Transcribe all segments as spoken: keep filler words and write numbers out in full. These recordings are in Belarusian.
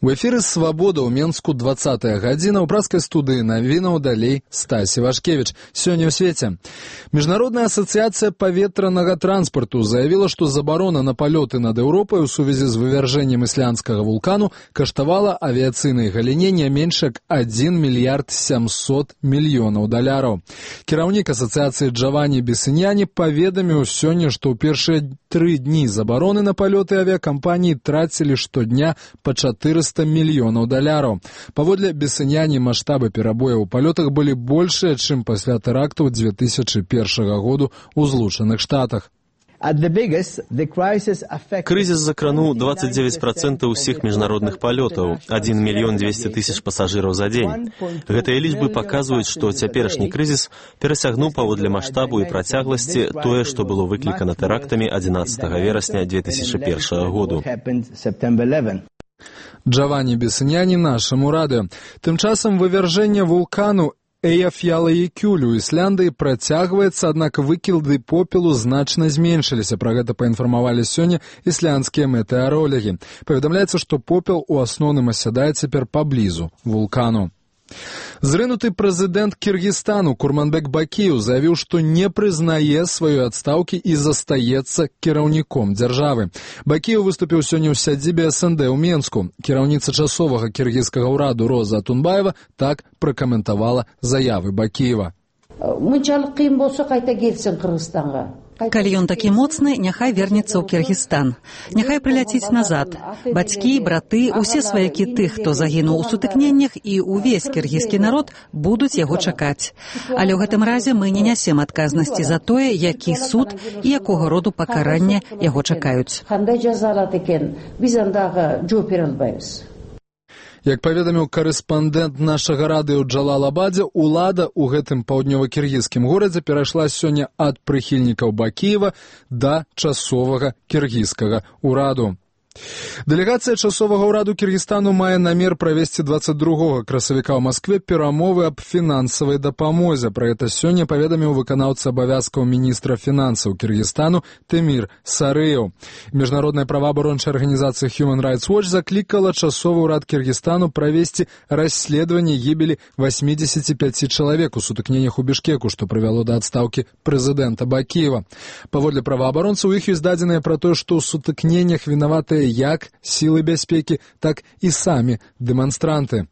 У эфіры «Свабода» ў Менску двадцатая гадзіна, ў праскай студыі навінаў далей Стасі Вашкевіч. Сёння ў свеце. Міжнародная асацыяцыя паветранага транспарту заявіла, што забарона на палёты над Еўропай у сувязі з вывяржэннем ісландскага вулкану каштавала авіяцыйнай галіне не менш як адзін мільярд сямсот мільёнаў даляраў. Кіраўнік асацыяцыі Джавані Бесіньяні паведаміў сёння, што ў першыя тры дні забароны на палёты авіякампаніі трацілі штодня па чатырыста мільёнаў даляраў. Паводле Бесіньяні маштабы перабояў у палётах былі большыя, чым пасля тэрактаў дзве тысячы першага году ў Злучаных Штатах. Крызіс закрануў двадцать девять процентов усіх міжнародных палётаў, адзін мільён дзвесце тысяч пасажыраў за дзень. Гэтыя лічбы паказваюць, што цяперашні крызіс перасягнуў паводле маштабу і працягласці тое, што было выклікана тэрактамі адзінаццатага верасня дзве тысячы першага году. Джавані Бесіньяні нашаму радыё. Тым часам вывяржэнне вулкану Эйяф'яла-Екюль у Ісландыі працягваецца, аднак выкілды попелу значна зменшыліся. Пра гэта паінфармавалі сёння ісландскія метэаролагі. Паведамляецца, што попел у асноўным асядае цяпер паблізу вулкану. Зрынуты прэзідэнт Кіргізстану Курманбек Бакіеў заявіў, што не прызнае сваёй адстаўкі і застаецца кіраўніком дзяржавы. Бакіеў выступіў сёння ў сядзібе эс эн дэ ў Менску. Кіраўніца часовага кіргізскага ўраду Роза Атунбаева так пракаментавала заявы Бакіева. Калі ён такі моцны, няхай вернецца ў Кіргізстан. Няхай прыляціць назад. Бацькі, браты, усе сваякі тых, хто загінуў у сутыкненнях, і ўвесь кіргізскі народ будуць яго чакаць. Але ў гэтым разе мы не нясем адказнасці за тое, які суд і якога роду пакаранне яго чакаюць. Як паведаміў карэспандэнт нашага радыё Джалал Абадзе, улада ў гэтым паўднёва-кіргізскім горадзе перайшла сёння ад прыхільнікаў Бакіева да часовага кіргізскага ўраду. Дэлегацыя часовага ўраду Кіргізстану мае намер правесці двадцать другога красавіка ў Маскве перамовы аб фінансавай дапамозе. Пра гэта сёння паведаміў выканаўца абавязкаў міністра фінансаў Кіргізстану Тэмір Сарыеў. Міжнародная праваабарончая арганізацыя Human Rights Watch заклікала часовы ўрад Кіргізстану правесці расследаванне гібелі восьмидесяти пяти чалавек у сутыкненнях у Бішкеку, што прывяло да адстаўкі прэзідэнта Бакіева. Паводле праваабаронцаў, у іх ёсць дадзеныя пра тое, што ў сутыкненнях вінаватыя як сілы бяспекі, так і самі дэманстранты.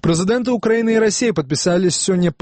Прэзідэнты Украіны і Расіі падпісалі сёння